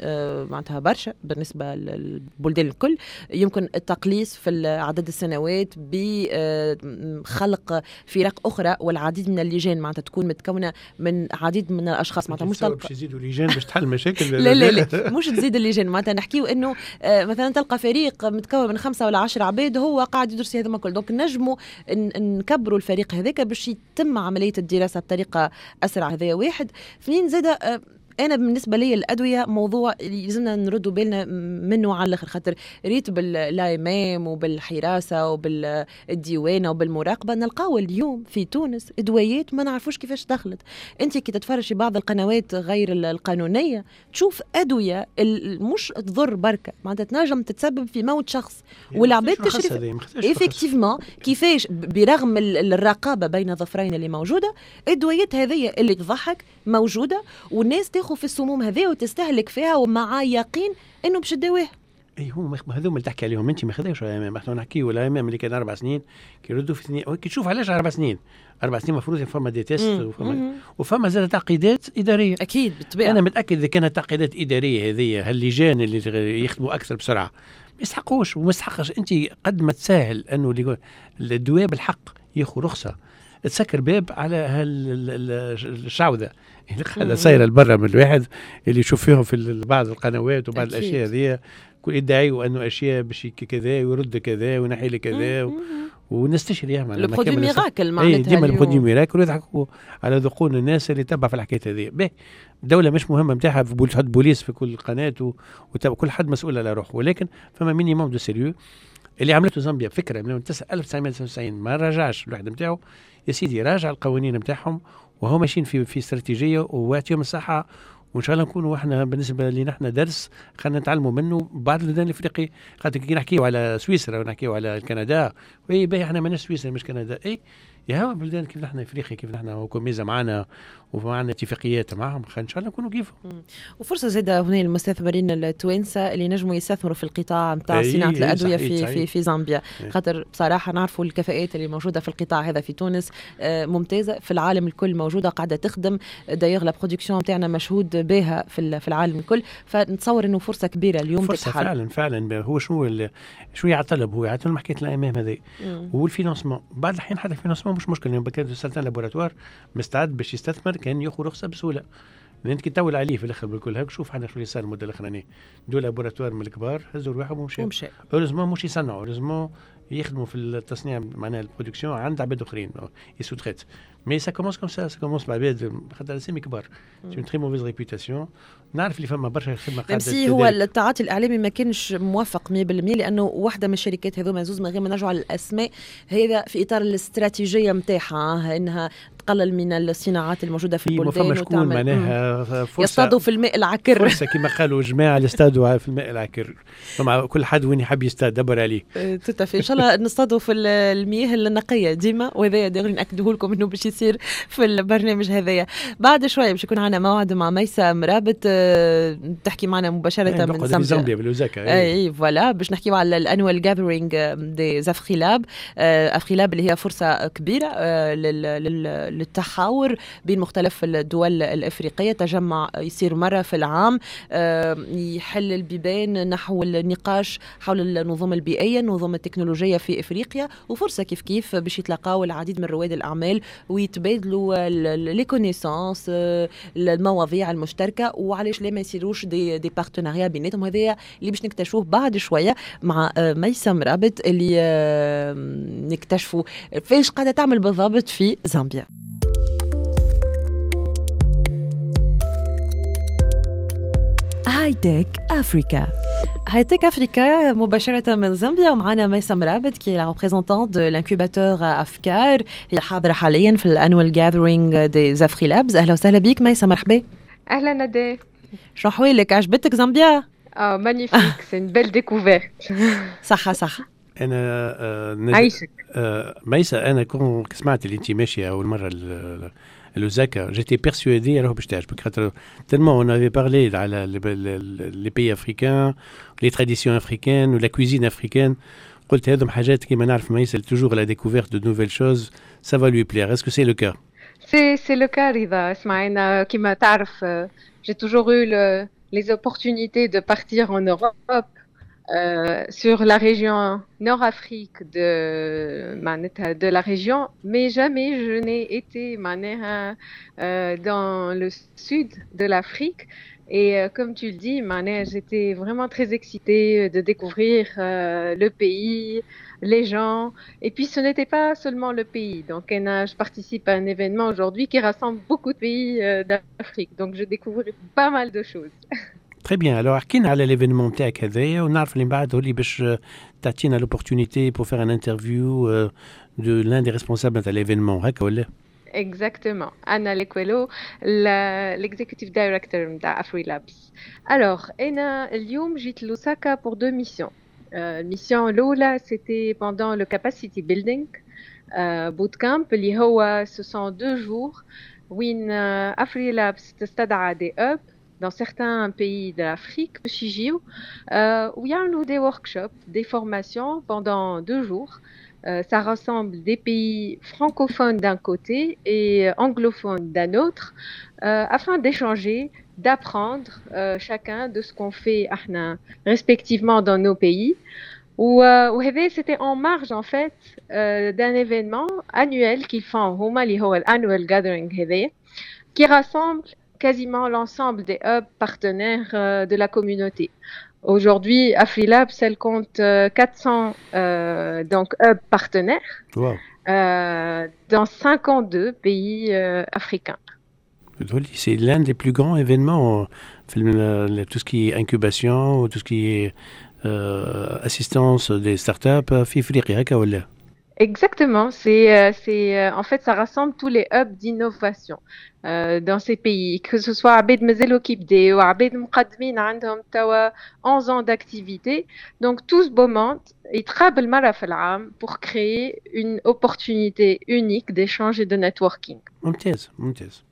معناتها برشا بالنسبة للبلدان الكل. يمكن التقليص في عدد السنوات بخلق فرق اخرى والعديد من اللجان، معناتها تكون متكونه من عديد من الاشخاص، معناتها مش باش يزيدوا لجان باش تحل مشاكل. لا لا لا، مش تزيد اللجان، معناتها نحكيو انه مثلا تلقى فريق متكون من 5 ولا 10 عباد هو قاعد يدرس هذا الكل، donc نجموا نكبروا الفريق هذاك باش يتم عملية الدراسة بطريقة اسرع. هذا واحد. اثنين زاد انا بالنسبة لي الادوية موضوع لازمنا نردوا بالنا منه على الاخر، خاطر ريت بال l'AMM وبالحراسه وبالديوانه وبالمراقبه، نلقاو اليوم في تونس ادويات ما نعرفوش كيفاش دخلت. انت كي تتفرج في بعض القنوات غير القانونية تشوف ادوية مش تضر بركه، معناتها تنجم تتسبب في موت شخص، والعباد تشري effectivement. كيفاش برغم الرقابة بين ظفرين اللي موجوده، الادويات هذه اللي تضحك موجوده، والناس تاخذ في السموم هذه وتستهلك فيها ومع يقين انه باش تداويها؟ اي هو هذوما اللي تحكي عليهم انت ما خذاوش l'AMM. احنا نحكيو l'AMM اللي كان 4 سنين كي يردوا في اثنين. كي تشوف علاش 4 سنين؟ 4 سنين المفروض فما des tests وفما زاد تعقيدات اداريه. اكيد، بالطبيعه. انا متاكد اذا كانت تعقيدات ادارية هذه، هاللجان اللي يخدموا اكثر بسرعة ما يستحقوش وما يستحقش. انت قد ما تسهل انه الدواء بالحق ياخذ رخصه، تسكر باب على هالشعوذه اللي قاعدة صايرة لبرا من الواحد اللي يشوف فيهم في بعض القنوات وبعض الاشياء هذه، كل يدعيوا انه اشياء باش كذا ويرد كذا وينحي لي كذا والناس تشري. le produit miracle معناتها. ديما ال produit miracle، ويضحكوا على ذقون الناس اللي تبع في الحكاية هذه. باهي، الدولة مش مهمة نتاعها تحط بوليس في كل قناة وكل حد مسؤول على روحه، ولكن فما minimum de sérieux. اللي عملته زامبيا فكرة من 1999 ما راجعش الوحدة نتاعو. يا سيدي راجع القوانين نتاعهم وهو ماشيين في استراتيجية ويعطيهم الصحه، وان شاء الله نكونوا احنا بالنسبة لنا احنا درس خلينا نتعلموا منه بعض البلدان الافريقية، خاطر كي نحكيو على سويسرا ونحكيو على كندا، oui باهي، احنا ماناش سويسرا مش كندا. اي يا هو بلدان كيف نحن افريقيا، كيف نحن كوميزا معنا ومعنا اتفاقيات معهم، ان شاء الله نكونوا كيفهم. وفرصه زاده هنا للمستثمرين التوانسة اللي نجموا يستثمروا في القطاع نتاع صناعة الادوية في زامبيا، خاطر بصراحة نعرفوا الكفاءات اللي موجودة في القطاع هذا في تونس ممتازه، في العالم الكل موجوده، قاعدة تخدم. d'ailleurs la production نتاعنا مشهود بها في العالم الكل، فنتصور انه فرصة كبيرة اليوم. فرصة تتحل. فعلا فعلا. هو شنو شو يعطلب؟ هو يعطلب حكاية l'AMM هذه وال financement. بعض الاحيان حتى ال financement مش مشكل، يعني كان certains laboratoires مستعد باش يستثمر كان ياخذ رخصه بسهوله. انت كي تطول عليه في الاخر بالكل، هاك شوف احنا شو اللي صار المدة الاخرانيه، deux laboratoires من الكبار هزوا رواحهم ومشاو. ومشى. heureusement مش يصنعوا، heureusement. يخدموا في التصنيع، معناها ال production عند عباد اخرين sous-traitent. mais ça commence comme ça، ça commence بعباد خاطر اسامي كبار، c'est une très mauvaise réputation. نعرف اللي فما برشا خدمة قاعده. même si هو التعاطي الاعلامي ما كانش موفق 100%، لانه واحدة من الشركات هذوما زوز، من غير ما نرجعوا على الاسماء، هذا في اطار الاستراتيجية نتاعها انها تقلل من الصناعات الموجودة في البلدان. فما شكون معناها فرصه، يصطادوا في الماء العكر. فرصة كما قالوا جماعه، يصطادوا في الماء العكر. فما كل حد وين يحب يصطاد دبر عليه. tout à fait، ان شاء الله نصطادوا في المياه النقية ديما، وهذا دغري ناكده لكم انه باش يصير في البرنامج هذايا. بعد شوية باش يكون عندنا موعد مع ميسة مرابط تحكي معنا مباشرة من زامبيا، زامبيا بلوزاكا. اي voilà، باش نحكيو على ال annual gathering des AfriLabs. AfriLabs اللي هي فرصة كبيرة للتحاور بين مختلف الدول الافريقيه، تجمع يصير مرة في العام، يحل البيبان نحو النقاش حول النظم البيئيه، النظم التكنولوجية في افريقيا، وفرصه كيف كيف باش يتلاقاو العديد من رواد الاعمال ويتبادلوا les connaissances، المواضيع المشتركه، وعلاش لا ما يصيروش des partenariats بيناتهم. هذايا اللي باش نكتشفوه بعد شوية مع ميسة مرابط، اللي نكتشفوا فاش قاعدة تعمل بالضبط في زامبيا. High Tech Africa. High Tech Africa مباشرة من زامبيا، ومعنا ميسة مرابط qui est la représentante de l'incubateur افكار، هي حاضرة حاليا في ال annual gathering des AfriLabs. اهلا وسهلا بك ميسة، مرحبا. اهلا ندى. شو احوالك؟ عجبتك زامبيا؟ اه magnifique، c'est une belle découverte. صح صح. انا عايشك. ميسة، انا كون سمعت اللي انت ماشية اول مرة لوزاكا، j'étais persuadé راهو باش تعجبك، خاطر tellement on avait parlé على les pays africains، les traditions africaines و la cuisine africaine. قلت هذم حاجات كيما نعرف ميسة toujours la découverte de nouvelles choses، ça va lui plaire. est-ce que c'est le cas؟ c'est le cas رضا. اسمع، انا كيما تعرف j'ai toujours eu les opportunités de partir en Europe sur la région Nord-Afrique de la région, mais jamais je n'ai été معناها dans le sud de l'Afrique. Et comme tu le dis, معناها j'étais vraiment très excitée de découvrir le pays, les gens. Et puis ce n'était pas seulement le pays. Donc أنا je participe à un événement aujourd'hui qui rassemble beaucoup de pays d'Afrique. Donc je découvre pas mal de choses. Très bien. Alors حكينا على l'événement نتاعك هذايا، ونعرف اللي من بعد هو اللي باش تعطينا l'opportunité pour faire une interview de l'un des responsables نتاع l'événement، هكا ولا؟ Exactement. Anna Lekwelo, l'executive director نتاع AfriLabs. Alors, أنا اليوم جيت لوساكا pour deux missions. Mission الأولى c'était pendant le capacity building bootcamp، اللي هو ce sont 2 jours وين AfriLabs تستدعى des hubs dans certains pays de l'Afrique باش يجيو ويعملوا des workshops، des formations pendant 2 jours. Ça rassemble des pays francophones d'un côté et anglophones d'un autre, afin d'échanger, d'apprendre chacun de ce qu'on fait احنا respectivement dans nos pays. وهذا c'était en marge en fait d'un événement annuel qu'ils font هما، اللي هو annual gathering هذا، qui rassemble quasiment l'ensemble des hubs partenaires de la communauté. Aujourd'hui, AfriLabs, elle compte 400 donc hubs partenaires dans 52 pays africains. C'est l'un des plus grands événements, tout ce qui est incubation, tout ce qui est assistance des startups في افريقيا، هكا ولا؟ Exactement, c'est en fait ça rassemble tous les hubs d'innovation dans ces pays، que ce soit عباد مازالوا كي بداو، عباد مقدمين عندهم توا 11 ans d'activité. Donc tout ce beau monde يتقابل مرة في العام pour créer une opportunité unique d'échange et de networking. ممتاز ممتاز.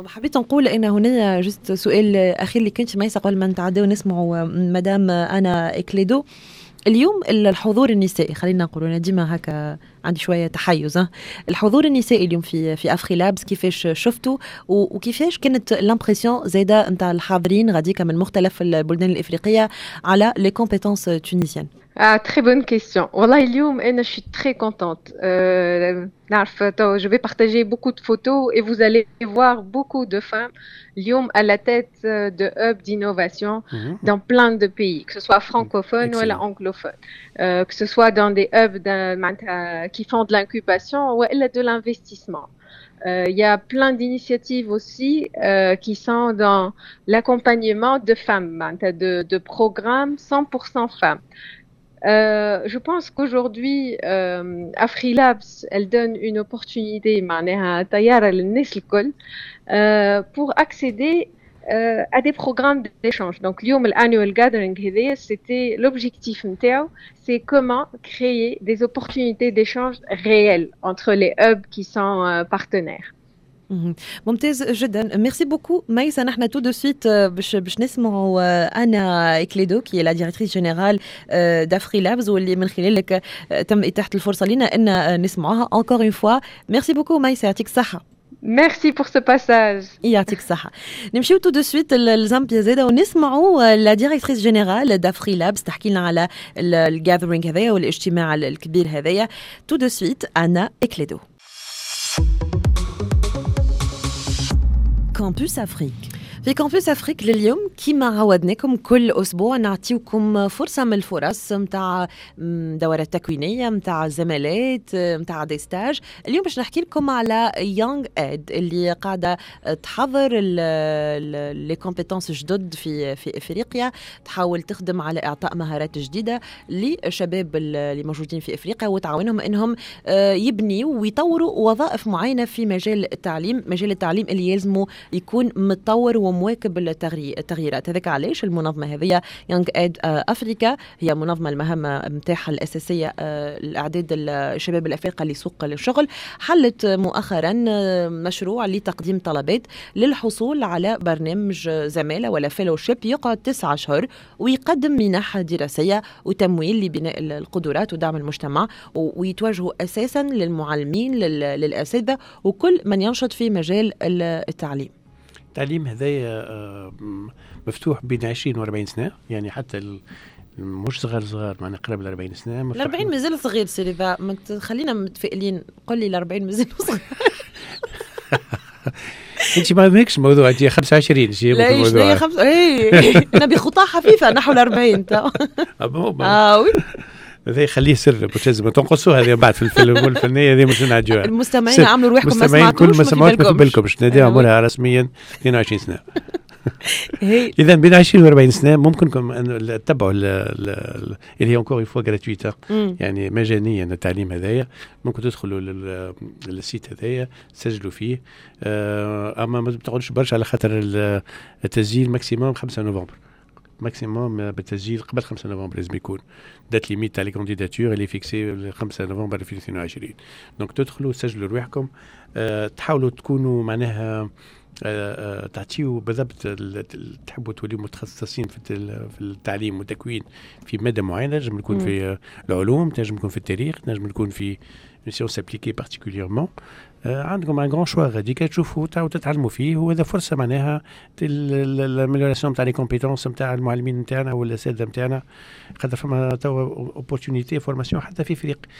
حبيت نقول ان هنا juste سؤال اخير اللي كنت ميسة قبل ما نتعداو نسمعوا مدام انا اكليدو. اليوم الحضور النسائي، خلينا نقولوا انا ديما هكا عندي شوية تحيز، الحضور النسائي اليوم في AfriLabs كيفاش شفتوا؟ وكيفاش كانت l'impression زاده نتاع الحاضرين غاديكا من مختلف البلدان الافريقية على les compétences tunisiennes؟ Ah, très bonne question. والله اليوم أنا je suis très contente. نعرف je vais partager beaucoup de photos et vous allez voir beaucoup de femmes اليوم à la tête de hubs d'innovation dans plein de pays, que ce soit francophone ou anglophone, que ce soit dans des hubs qui font de l'incubation ou de l'investissement. Il y a plein d'initiatives aussi qui sont dans l'accompagnement de femmes, de programmes 100% femmes. Je pense qu'aujourd'hui, AfriLabs, elle donne une opportunité معناها طيارة للناس الكل pour accéder à des programmes d'échange. Donc, اليوم annual gathering هذايا c'était l'objectif نتاعو, c'est comment créer des opportunités d'échange réelles entre les hubs qui sont partenaires. ممتاز جدا، merci beaucoup ميسا. نحن tout de suite باش نسمعوا انا اكليدو qui est la directrice générale d'AfriLabs، واللي من خلالك تم اتاحة الفرصة لنا ان نسمعوها. encore une fois merci beaucoup ميسا، يعطيك الصحه. Merci pour ce passage. يعطيك الصحة. نمشيو tout de suite لزامبيا زاده ونسمعوا la directrice générale d'AfriLabs تحكي لنا على ال gathering هذايا والاجتماع الكبير هذايا. tout de suite انا اكليدو. Campus Afrique. في Campus Afrique لليوم كما عودناكم كل اسبوع نعطيوكم فرصة من الفرص نتاع دورات تكوينيه، نتاع زمالات، نتاع des stages. اليوم باش نحكي لكم على Young Ed اللي قاعدة تحضر les compétences جدد في افريقيا، تحاول تخدم على اعطاء مهارات جديدة للشباب اللي موجودين في افريقيا وتعاونهم انهم يبنيوا ويطوروا وظائف معينة في مجال التعليم، مجال التعليم اللي يلزمه يكون متطور ومواكب التغييرات. هذاك علاش المنظمة هذه Young Ed Africa هي منظمة المهمة نتاعها الاساسية الاعداد الشباب الافارقة لسوق الشغل، حلت مؤخرا مشروع لتقديم طلبات للحصول على برنامج زمالة ولا fellowship يقعد 9 اشهر ويقدم منح دراسية وتمويل لبناء القدرات ودعم المجتمع، ويتوجهوا اساسا للمعلمين، للاساتذه وكل من ينشط في مجال التعليم. التعليم هذايا مفتوح بين 20 و 40 سنة، يعني حتى مش صغار صغار، معناها قرب ال 40 سنة. ال 40 مازال صغير سي رضا، خلينا متفائلين، قل لي ال 40 مازال صغير. انت ما ماكش الموضوع، انت 25 شي لا الموضوع. اي انا بخطى خفيفة نحو ال 40. اه oui، هذا يخليه سر باش لازم تنقصوا هذه بعد في الفيلم الفنية هذه مش نعديوها. المستمعين عملوا رواحكم ما سمعتوش، ما سمعتوش، ما في بالكمش. نادي عمرها رسميا 22 سنة. اذا بين 20 و 40 سنة ممكنكم ان تتبعوا اللي هي encore une fois gratuite، يعني مجانيا التعليم هذايا. ممكن تدخلوا لل site هذايا تسجلوا فيه، اما ما تقعدوش برشا على خاطر التسجيل maximum 5 نوفمبر، maximum بالتسجيل قبل 5 نوفمبر لازم يكون date limite تاع les candidatures اللي fixée 5 نوفمبر 2022. donc تدخلوا تسجلوا رواحكم، تحاولوا تكونوا معناها تعطيوا بالضبط تحبوا توليوا متخصصين في التعليم والتكوين في مادة معينه، تنجم تكون في العلوم، تنجم تكون في التاريخ، تنجم تكون في sciences appliquées particulièrement. عندكم un grand choix غادي تشوفوا وتتعلموا فيه، وهذا فرصة معناها l'amélioration تاع les compétences نتاع المعلمين نتاعنا والاساتذه نتاعنا، خاطر فما توا opportunité formation حتى في افريقيا.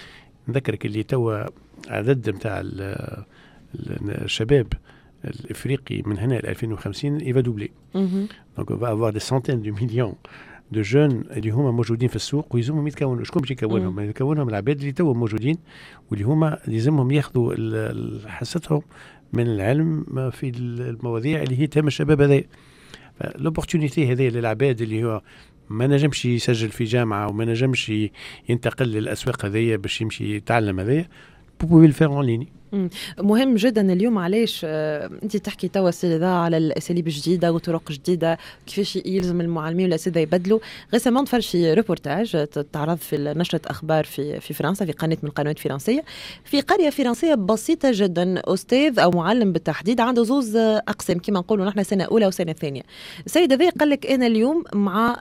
نذكرك اللي توا عدد نتاع الشباب الافريقي من هنا ل 2050 il va doubler، donc on va avoir des centaines de millions de jeunes اللي هما موجودين في السوق ويلزمهم يتكونوا. شكون باش يكونهم؟ يكونهم العباد اللي توا موجودين واللي هما لازمهم ياخذوا حصتهم من العلم في المواضيع اللي هي تهم الشباب هذايا. l'opportunité هذه للعباد اللي هو ما نجمش يسجل في جامعه وما نجمش ينتقل للاسواق هذيا باش يمشي يتعلم هذايا، vous pouvez le faire en ligne. مهم جدا اليوم. علاش انت تحكي توا سي رضا على الاساليب الجديدة وطرق جديدة كيفاش يلزم المعلمين والاساتذه يبدلوا؟ récemment تفرج في روبورتاج تعرض في نشره اخبار في فرنسا، في قناة من القنوات الفرنسية، في قرية فرنسية بسيطة جدا، استاذ او معلم بالتحديد عنده زوز اقسام كما نقولوا نحن، سنة اولى وسنة ثانية. السيد هذا قال لك انا اليوم مع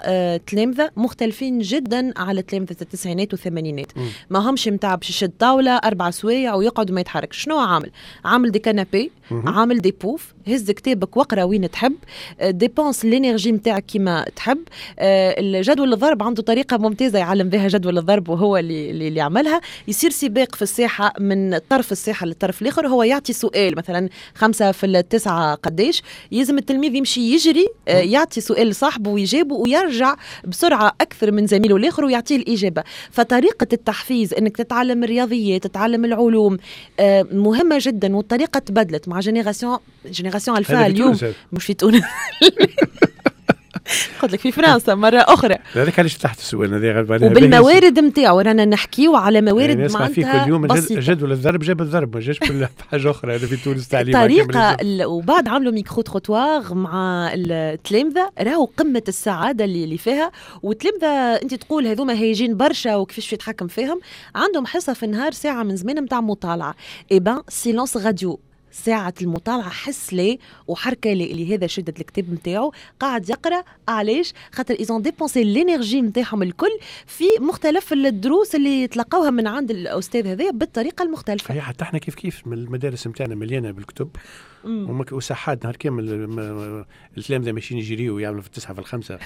تلامذه مختلفين جدا على تلامذه التسعينات والثمانينات، ما همش نتاع باش يشد طاولة 4 سوايع ويقعد وما يتحركش. شنو عامل؟ عامل des canapés، عامل des poufs، هز كتابك واقرا وين تحب، dépense l'énergie نتاعك كيما تحب. الجدول الضرب عنده طريقه ممتازة يعلم بها جدول الضرب، وهو اللي عملها. يصير سباق في الساحة من طرف الساحة للطرف الاخر، هو يعطي سؤال مثلا 5 في 9 قداش، يلزم التلميذ يمشي يجري يعطي سؤال لصاحبه ويجاوبه ويرجع بسرعة اكثر من زميله الاخر ويعطيه الاجابة. فطريقة التحفيز انك تتعلم الرياضيات، تتعلم العلوم، مهمة جدا. والطريقة تبدلت مع génération alpha اليوم، مش في تونس، قلت لك في فرنسا مرة أخرى. هذاك علاش تحت السؤال هذا. وبالموارد نتاعو رانا نحكيو على موارد يعني معناتها كل يوم جدول الضرب جاب الضرب، ما جاش بحاجة أخرى. هذا في تونس تعليم طريقة. وبعد عملوا micro-trottoir مع التلامذة، راهو قمة السعادة اللي فيها. والتلامذة أنت تقول هذوما هايجين برشا وكيفاش يتحكم فيهم، عندهم حصة في النهار ساعة من زمان نتاع مطالعة، eh ben silence radio، ساعة المطالعة حس لي وحركة لي، اللي هذا شدة الكتاب نتاعو قاعد يقرأ. علاش؟ خاطر ils ont dépensé l'énergie نتاعهم الكل في مختلف الدروس اللي تلقاوها من عند الأستاذ هذا بالطريقة المختلفة. هي حتى احنا كيف كيف المدارس نتاعنا مليانة بالكتب وساحات نهار كامل التلامذة ماشيين يجريوا ويعملوا في 9 في 5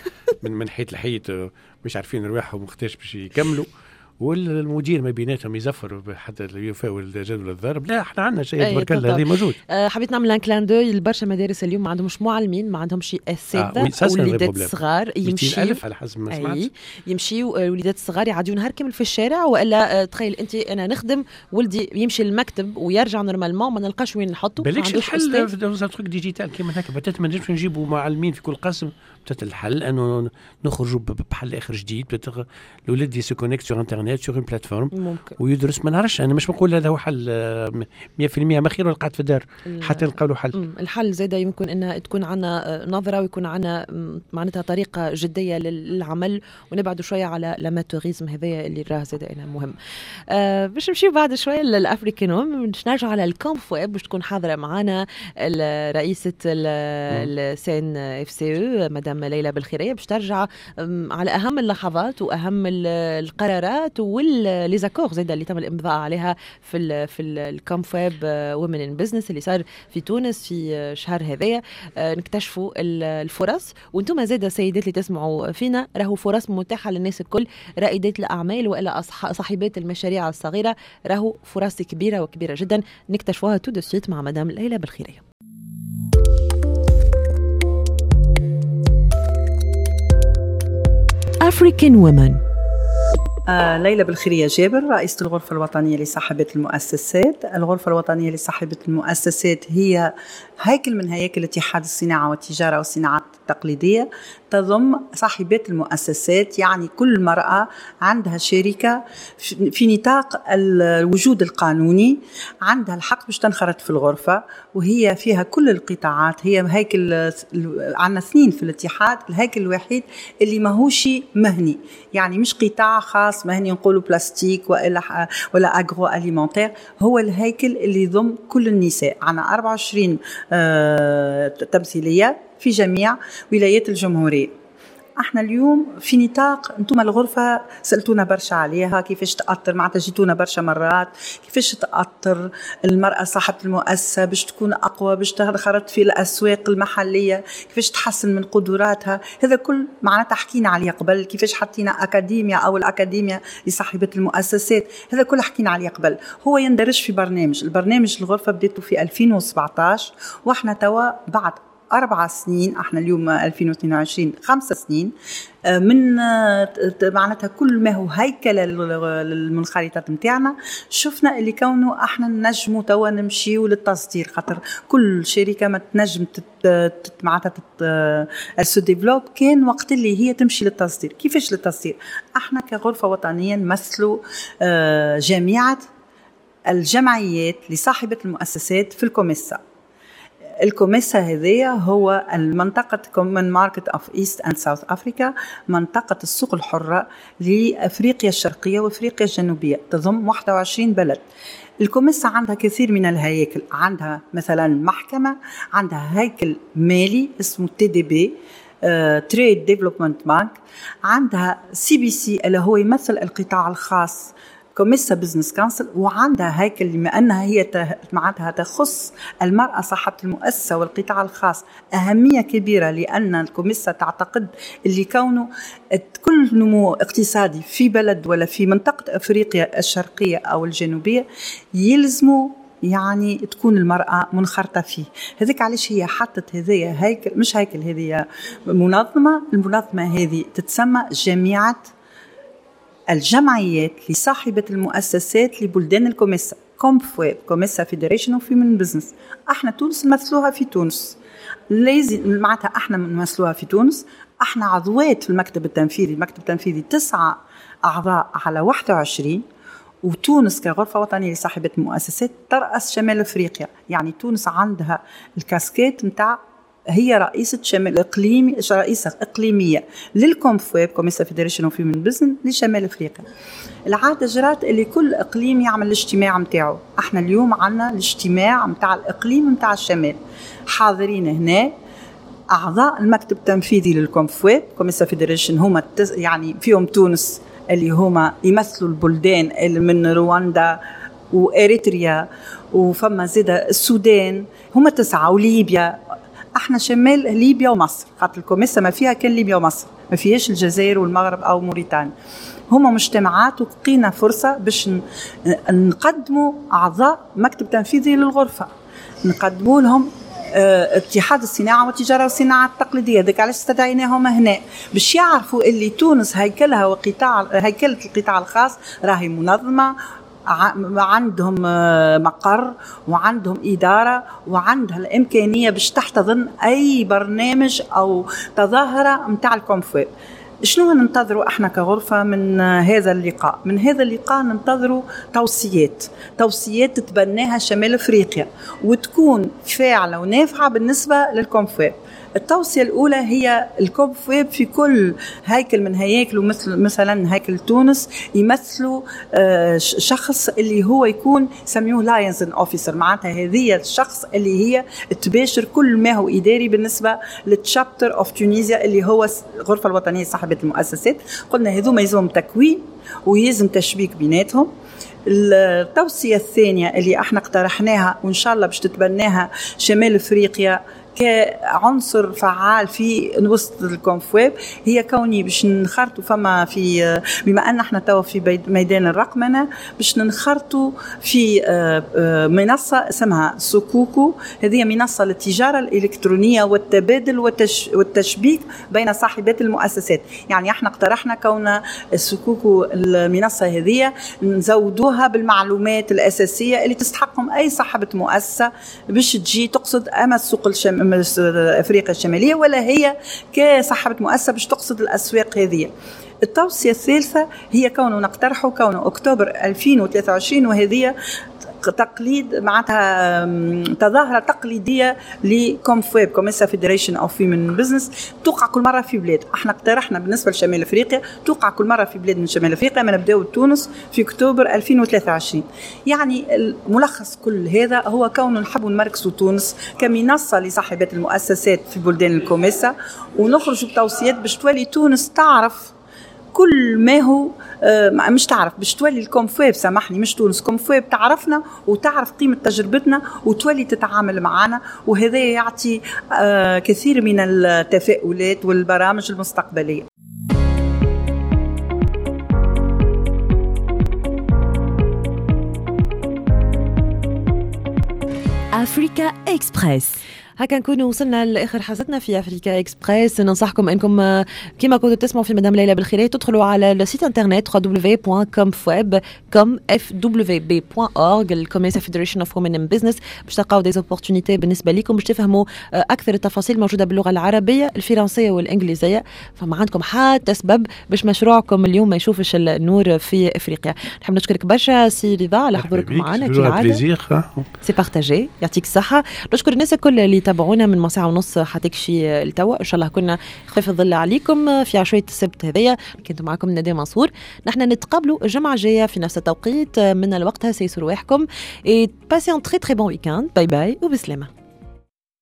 من حيط لحيط، مش عارفين رواحهم وقتاش باش يكملوا، والمدير ما بيناتهم يزفر حتى يفاول جدول الضرب. لا احنا عندنا شيء تبارك الله هذه موجود. حبيت نعمل un clin d'œil لبرشا مدارس اليوم ما عندهمش معلمين، ما عندهمش اساتذة، وليدات صغار يمشيو على حسب ما سمعت، يمشيو الوليدات الصغار يعديو نهار كامل في الشارع. والا تخيل انت انا نخدم ولدي يمشي للمكتب ويرجع normalement ما نلقاش وين نحطه. بالكش الحل في truc digital كيما هكا، peut-être ما نجمش نجيبوا معلمين في كل قسم، peut-être الحل انه نخرجوا بحل اخر جديد، peut-être الولاد se connecte sur internet sur une plateforme ويدرس. ما نعرفش، انا مش بنقول هذا هو حل 100%، ما خير قاعد في الدار حتى نلقاو له حل. الحل زاد يمكن ان تكون عندنا نظره ويكون عندنا معناتها طريقه جدية للعمل، ونبعدوا شوية على l'amateurisme هذايا اللي راه زاد انا مهم. باش نمشيو بعد شوية لل African Women، باش نرجعوا على ال Comfweb باش تكون حاضره معنا رئيسه ال CNFCE مدام ليلى بالخيريه، باش ترجع على اهم اللحظات واهم القرارات و les accords زاد اللي تم الامضاء عليها في ال Comfweb Women in Business اللي صار في تونس في شهر هذايا. نكتشفوا الفرص، وانتم زاد سيدات اللي تسمعوا فينا راهو فرص متاحة للناس الكل، رائدات الاعمال والا صاحبات المشاريع الصغيرة، راهو فرص كبيرة وكبيره جدا نكتشفوها tout de suite مع مدام ليلى بالخيريه. African Women. ليلى بالخيرية جابر، رئيسة الغرفة الوطنية لصاحبة المؤسسات. الغرفة الوطنية لصاحبة المؤسسات هي هيكل من هياكل اتحاد الصناعة والتجارة والصناعات التقليدية، تضم صاحبات المؤسسات، يعني كل مرأة عندها شركة في نطاق الوجود القانوني عندها الحق باش تنخرط في الغرفة، وهي فيها كل القطاعات. هي هيكل، عندنا 2 في الاتحاد، الهيكل الوحيد اللي ماهوش مهني، يعني مش قطاع خاص مهني نقولوا بلاستيك ولا agroalimentaire، هو الهيكل اللي يضم كل النساء. عندنا 24 تمثيلية في جميع ولايات الجمهورية. احنا اليوم في نطاق، انتم الغرفة سألتونا برشا عليها كيفاش تأثر، معناتها جيتونا برشا مرات كيفاش تأثر المرأة صاحبة المؤسسة باش تكون أقوى، باش تنخرط في الأسواق المحلية، كيفاش تحسن من قدراتها. هذا كل معناتها حكينا عليه قبل، كيفاش حطينا أكاديميا أو الأكاديميا لصاحبة المؤسسات، هذا كل حكينا عليه قبل. هو يندرج في برنامج، البرنامج الغرفة بدأته في 2017، واحنا توا بعد 4 سنين، احنا اليوم 2022، 5 سنين من معناتها كل ما هو هيكل للمنخرطات نتاعنا، شفنا اللي كونه احنا نجموا توا نمشيو للتصدير، خاطر كل شركة ما تنجم معناتها se développe كان وقت اللي هي تمشي للتصدير. كيفاش للتصدير؟ احنا كغرفه وطنية نمثلوا جميع الجمعيات لصاحبه المؤسسات في الكوميسا. الكوميسا هذيا هو المنطقة Common Market of East and South Africa، منطقة السوق الحرة لأفريقيا الشرقية وأفريقيا الجنوبية، تضم 21 بلد. الكوميسا عندها كثير من الهياكل، عندها مثلا محكمة، عندها هيكل مالي اسمه TDB Trade Development Bank، عندها CBC اللي هو يمثل القطاع الخاص COMESA Business Council، وعندها هيكل بما انها هي معناتها تخص المراة صاحبه المؤسسة والقطاع الخاص اهمية كبيرة، لان الكوميسا تعتقد اللي كونه كل نمو اقتصادي في بلد ولا في منطقة افريقيا الشرقية او الجنوبية يلزموا يعني تكون المرأة منخرطة فيه. هذيك علاش هي حطت هذيا هيكل، مش هيكل، هذه منظمة. المنظمة هذه تتسمى جامعة الجمعيات لصاحبة المؤسسات لبلدان الكوميسا، COMFWB، COMESA Federation of Women Business. احنا تونس نمثلوها في تونس، لازم معناتها احنا نمثلوها في تونس. احنا عضوات في المكتب التنفيذي، المكتب التنفيذي 9 أعضاء على 21، وتونس كغرفة وطنية لصاحبة المؤسسات ترأس شمال أفريقيا. يعني تونس عندها الكاسكيت متاع هي رئيسة شمال إقليمي، رئيسة إقليمية لل COMFWB، COMESA Federation of Women Business لشمال أفريقيا. العادة جرات اللي كل إقليم يعمل الاجتماع متاعه. احنا اليوم عندنا الاجتماع متاع الإقليم متاع الشمال، حاضرين هنا أعضاء المكتب التنفيذي لل COMFWB، COMESA Federation، هما يعني فيهم تونس اللي هما يمثلوا البلدان اللي من رواندا وإريتريا، وفما زيادة السودان، هما 9، وليبيا. احنا شمال ليبيا ومصر، خاطر الكوميسا ما فيها كان ليبيا ومصر، ما فيهاش الجزائر والمغرب او موريتانيا. هما مجتمعات، وقينا فرصة باش نقدموا أعضاء مكتب تنفيذي للغرفة، نقدموا لهم اتحاد الصناعة والتجارة والصناعة التقليدية. ذاك علاش استدعيناهم هنا، باش يعرفوا اللي تونس هيكلها وقطاع هيكلة القطاع الخاص راهي منظمة، عندهم مقر وعندهم إدارة وعندها الإمكانية باش تحتضن أي برنامج أو تظاهرة متاع ال COMFWB. شنو ننتظروا احنا كغرفة من هذا اللقاء؟ من هذا اللقاء ننتظروا توصيات تتبناها شمال افريقيا وتكون فاعلة ونافعة بالنسبة لل COMFWB. التوصية الأولى هي ال COMFWB في كل هيكل من هياكله، مثلا هيكل تونس يمثلوا شخص اللي هو يكون سميوه liaison officer، معناتها هذه الشخص اللي هي تباشر كل ما هو إداري بالنسبة لل chapter of Tunisia اللي هو الغرفة الوطنية صاحبة المؤسسات. قلنا هذوما يلزمهم تكوين ويلزم تشبيك بيناتهم. التوصية الثانية اللي احنا اقترحناها وإن شاء الله باش تتبناها شمال افريقيا كعنصر فعال في وسط ال COMFWB هي كوني باش نخرطوا فما في، بما ان احنا توا في ميدان الرقمنه، باش ننخرطوا في منصة اسمها سكوكو. هذه منصة للتجارة الالكترونية والتبادل والتشبيك بين صاحبات المؤسسات. يعني احنا اقترحنا كون السكوكو المنصة هذه نزودوها بالمعلومات الاساسية اللي تستحقهم اي صاحبه مؤسسة باش تجي تقصد اما السوق افريقيا الشمالية ولا هي كصاحبه مؤسسة باش تقصد الاسواق هذه. التوصية الثالثة هي كونه نقترحه كونه اكتوبر 2023، وهذه تقليد معناتها تظاهرة تقليدية ل COMFWB، COMESA Federation of Women Business، توقع كل مرة في بلاد. احنا اقترحنا بالنسبة لشمال افريقيا توقع كل مرة في بلاد من شمال افريقيا، ما نبداو تونس في اكتوبر 2023. يعني الملخص كل هذا هو كون نحبوا نمركزوا تونس كمنصه لصاحبات المؤسسات في بلدان الكوميسا، ونخرجوا بتوصيات باش تولي تونس تعرف كل ما هو مش تعرف، باش تولي ال COMFWB، سامحني مش تونس، COMFWB تعرفنا وتعرف قيمة تجربتنا وتولي تتعامل معنا، وهذا يعطي كثير من التفاؤلات والبرامج المستقبلية. Africa Express. هكا نكونوا وصلنا لاخر حصتنا في Africa Express. ننصحكم انكم كما كنتوا تسمعوا في مدام ليلى بالخيرية تدخلوا على ال site internet www.comfweb.org، ال COMESA Federation of Women in Business، باش تلقاو des opportunités بالنسبة لكم باش تفهموا اكثر التفاصيل موجودة باللغة العربية الفرنسية والانجليزية. فما عندكم حتى سبب باش مشروعكم اليوم ما يشوفش النور في افريقيا. نحب نشكرك برشا سي رضا على حضورك معنا كالعادة، c'est partagé، يعطيك الصحة. نشكر الناس الكل اللي تابعونا من ساعة ونص حتكشي التوا، إن شاء الله كنا خفيف الظل عليكم في عشوية السبت هذيا. كنت معكم ندى منصور، نحن نتقابلوا الجمعة الجاية في نفس التوقيت من الوقت. سيسر رواحكم et passez un très très bon week-end. باي باي وبسلامة.